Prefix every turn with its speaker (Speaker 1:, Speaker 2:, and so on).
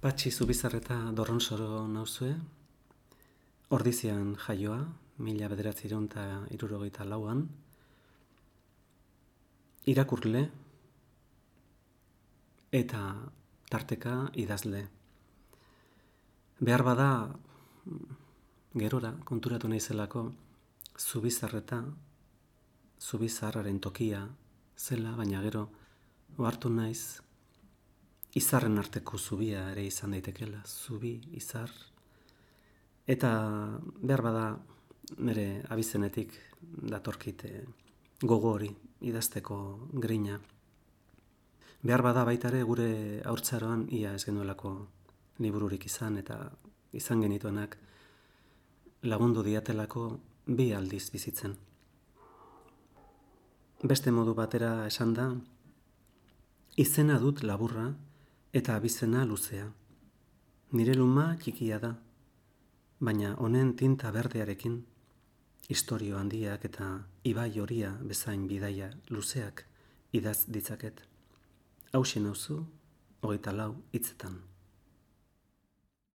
Speaker 1: Patxi Zubizarreta Dorronsoro nauzue, Ordizian jaioa, 1964an, irakurle eta tarteka idazle. Behar bada, gerora konturatu naizelako, Zubizarreta, Zubizarraren tokia zela, baina gero ohartu naiz, izarren arteko zubia ere izan daitekela, zubi, izar. Eta behar bada nire abizenetik datorkit gogo hori idazteko grina. Behar bada baita ere gure haurtzaroan ia ez genuelako libururik izan eta izan genituenak lagundu diatelako 2 aldiz bizitzen. Beste modu batera esan da, izena dut laburra eta abizena luzea. Nire luma txikia da, baina honen tinta berdearekin, istorio handiak eta ibai horia bezain bidaia luzeak idaz ditzaket. Hauxe nauzu, 24 hitzetan.